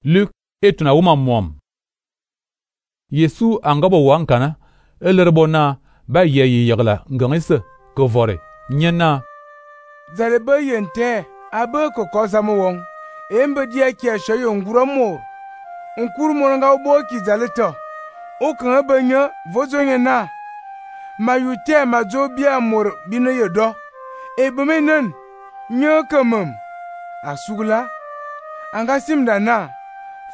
Luk etuna wuma mwam. Yesu anga bo wankana elerbo na ba ye yegla ngangise ko vore nyena zale ba yente abe ko kozamo won embe dia ki shoyo ngura mor nkur mo nga bo ki zale to o kan abanya vozo nyena mayute mazo bia mor bino yedo ebemenen nya kamam asugla anga simda na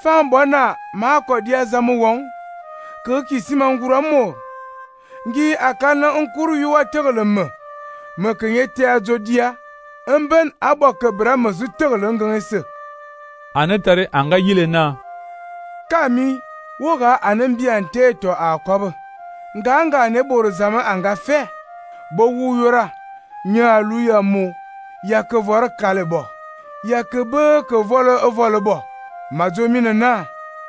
fambona ma ko dia zamu won ko ki simangura mor ngi akana nkuru yuwa teglem ma kenyete azodia emben abokebra mazu tegle ngangese anetare anga yile na kami woga anambiante to akob nganga ne bor zama anga fe bo wuyora nyalu ya mu yakevor kalebo yakebe ke volebo mazomina na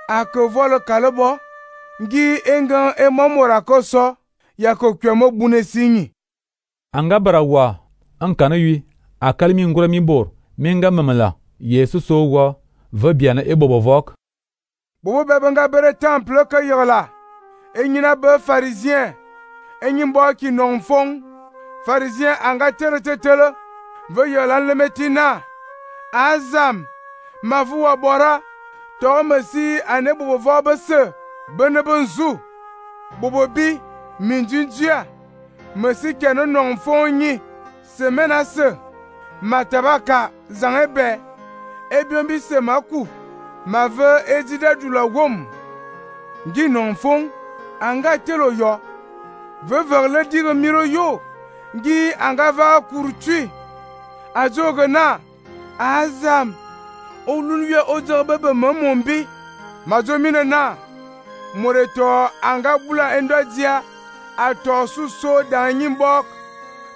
akevol kalebo ngi engan emomora koso yakokwemo bunesinyi anga barawa ankana wi akalmi ngura mi bor minga mamala Yesu sowa va biana ebobovok bobo bebenga bere temple ka yola enyina be pharisien enyimbo ki nonfong pharisien anga teretele ve yola lemetina azam mavuwa bora to mesi ane bobo bese bene benzu bobo bi minjinjia mesi keno nonfong nyi semena se matabaka zangebe ebiombi se maku ma ve ejida dula wom ngi nonfong anga telo yo ve verle dire miro yo ngi anga va kurtui azogena azam olunwe ozobebe mombi mazomine na moreto anga bula endodia ato suso danyimbok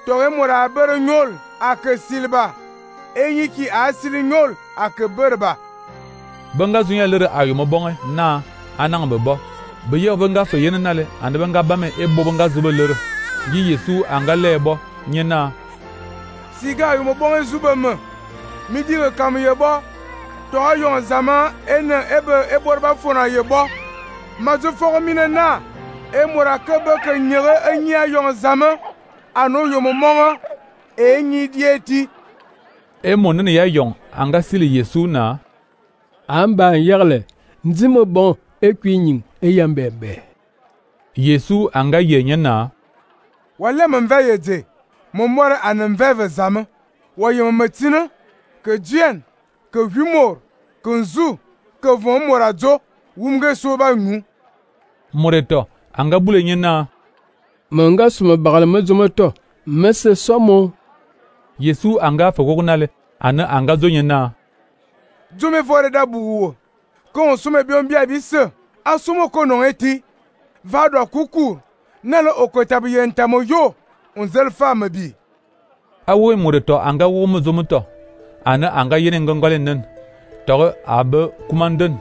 tore mora bere nyol ake silba enyiki asili nyol ake berba banga zunya lere ayuma bonge na anang bebo beye banga so yene nale ande banga bame ebo banga zuba lere yi Yesu anga lebo nyena siga ayuma bonge zuba me mi dire kam yebo to yon zaman ene eborba fona yebo mazu fogo mine na emora kebe ke nyere enya yon zaman ano yomo monga enyi dieti monene ya yon anga sili Yesu na amba yegle nzimo bon ekwinyin eyambembe Yesu anga yenye na wale mve yede momore anmve zame woyem matina ke dien ke humor ke nzu ke von moradzo wumge soba nyu moreto anga bule nyena manga suma bagal mazomoto mese somo Yesu anga fogognale ana anga zonyena Jome fore da buwo ko sume biombia bise asumo ko non eti vado kukur nalo okotabu yentamo yo unzel femme bi awo moreto anga wo muzomoto ana anga yene ngongole nen to abe kumanden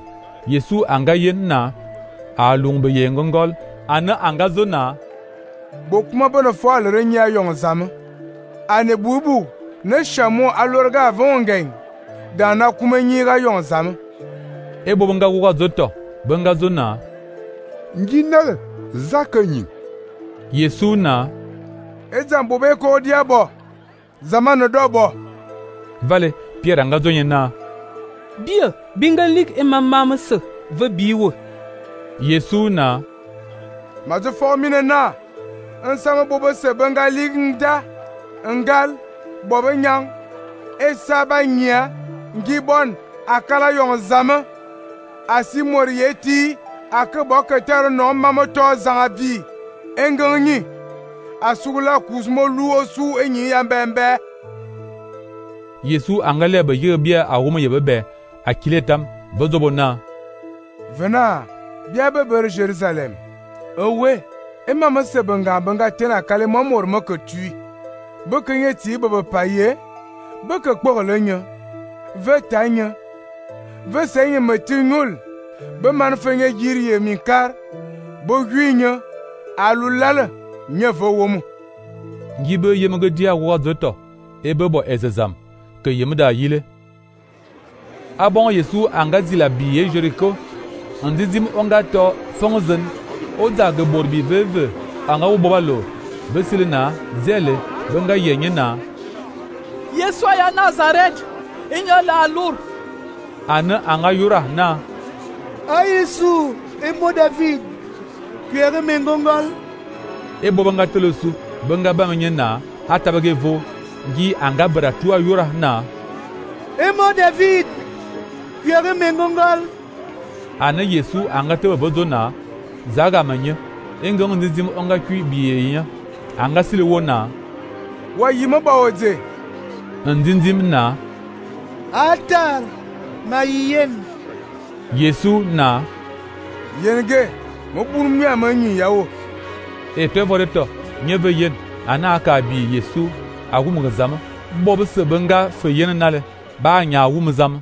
Yesu anga yenna alungbe yengongol ana anga zona bokuma bono fo alere nya yon zam ane bubu ne shamo alorga vongen dana kuma nyiga yon zam ebo banga wuga zoto banga zona njinal zakanyi Yesu na ezambo be ko diabo zamano dobo vale Pierre anga zonyena bia bingalik e mamma se ve biwo Yesu na mazu formine na nsama bobo se bingalik nda ngal bobo nyang esaba nya ngibon akala yon zama asimorieti akebo ketero no mamoto zangabi enganyi asugula kuzmo luosu enyi yambembe Yesu anga lebe yebia awuma yebebe akiletam bozobona vena bia beber Jerusalem owe emama se banga tena kale mamor makotui bekenye ti bebe paye beke kpogolenya ve tanya ve senye matingul be manfenye yiriye minkar bo gwinya alulala nyevo womu ngibe yemege dia wo zoto ebe bo ezezam ke yemda yile Abon Yesu anga zila biye Jericho. Ndizim onga to fongzen. Oza ge borbi veve. Anga ubobalo. Besilina zele. Benga yenye na. Yesu ya Nazareth. Inyo la alur. Ane anga yura na. A Yesu, emo David. Kuyere mengongol. E bobanga telosu. Benga bamenye na. Atabage vo. Gi anga beratua yura na. Emo David. Kuyere mengongol. Ane Yesu anga tebe bozo na. Zaga manye. Engong ndizim onga kui biye nya. Anga sile wona. Wa yimo ba oje. Ndindim na. Altar. Mayen. Yesu na. Yenge. Mo buru mi amanyi yawo. E te voreto. Nyeve yen. Ana aka bi Yesu. Agum zama. Bob se benga fe yen nale. Ba nya wum zama.